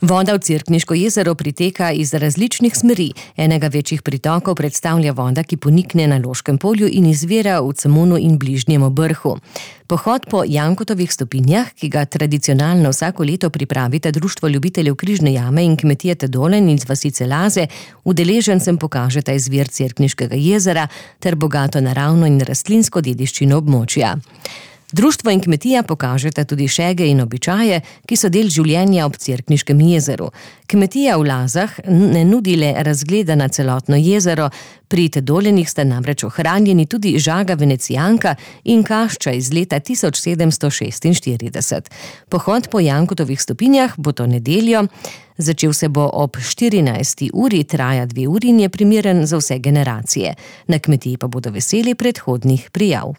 Voda v Cerkniško jezero priteka iz različnih smeri. Enega večjih pritokov predstavlja voda, ki ponikne na Loškem polju in izvira v Cemonu in bližnjem Obrhu. Pohod po Jankotovih stopinjah, ki ga tradicionalno vsako leto pripravita Društvo ljubiteljev Križne jame in kmetije Tedolin iz vasice Laze, udeležencem pokažeta izvir Cerkniškega jezera ter bogato naravno in rastlinsko dediščino območja. Društvo in kmetija pokažeta tudi šege in običaje, ki so del življenja ob Cerkniškem jezeru. Kmetija v Lazah ne nudi le razgleda na celotno jezero, pri Tedolinih sta namreč ohranjeni tudi žaga venecijanka in kašča iz leta 1746. Pohod po Jankotovih stopinjah bo to nedeljo. Začel se bo ob 14. uri, traja 2 uri in je primeren za vse generacije. Na kmetiji pa bodo veseli predhodnih prijav.